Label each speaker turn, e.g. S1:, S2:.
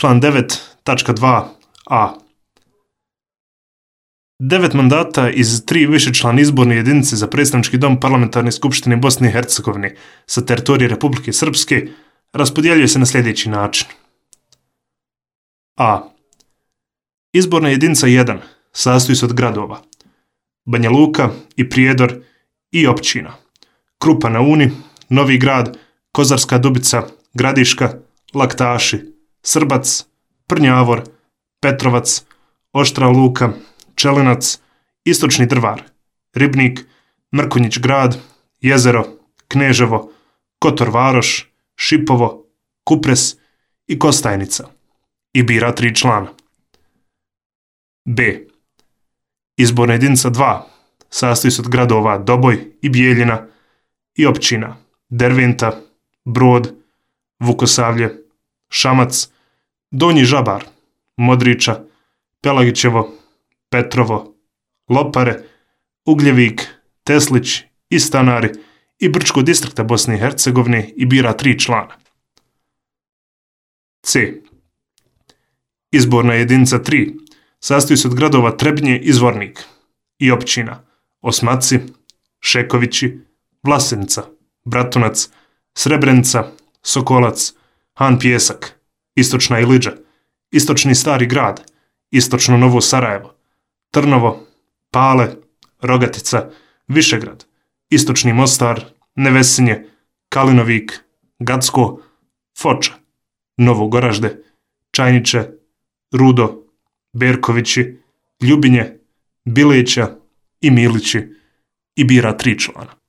S1: član 9.2a. 9 mandata iz 3 višečlane izborne jedinice za predstavnički dom Parlamentarne skupštine Bosne i Hercegovine sa teritorije Republike Srpske raspodjeljuje se na sljedeći način. A. Izborna jedinica 1 sastoji se od gradova Banja Luka i Prijedor i općina Krupa na Uni, Novi Grad, Kozarska Dubica, Gradiška, Laktaši, Srbac, Prnjavor, Petrovac, Oštra Luka, Čelinac, Istočni Drvar, Ribnik, Mrkonjić Grad, Jezero, Kneževo, Kotor Varoš, Šipovo, Kupres i Kostajnica i bira 3 člana. B. Izborna jedinica 2 sastoji se od gradova Doboj i Bijeljina i općina Derventa, Brod, Vukosavlje, Šamac, Donji Žabar, Modriča, Pelagićevo, Petrovo, Lopare, Ugljevik, Teslić i Stanari i Brčko distrikta Bosne i Hercegovine i bira 3 člana. C. Izborna jedinica 3 sastoji se od gradova Trebinje i Zvornik i općina Osmaci, Šekovići, Vlasenica, Bratunac, Srebrenica, Sokolac, Han Pjesak, Istočna Iliđa, Istočni Stari Grad, Istočno Novo Sarajevo, Trnovo, Pale, Rogatica, Višegrad, Istočni Mostar, Nevesinje, Kalinovik, Gacko, Foča, Novo Goražde, Čajniče, Rudo, Berkovići, Ljubinje, Bileća i Milići i bira 3 člana.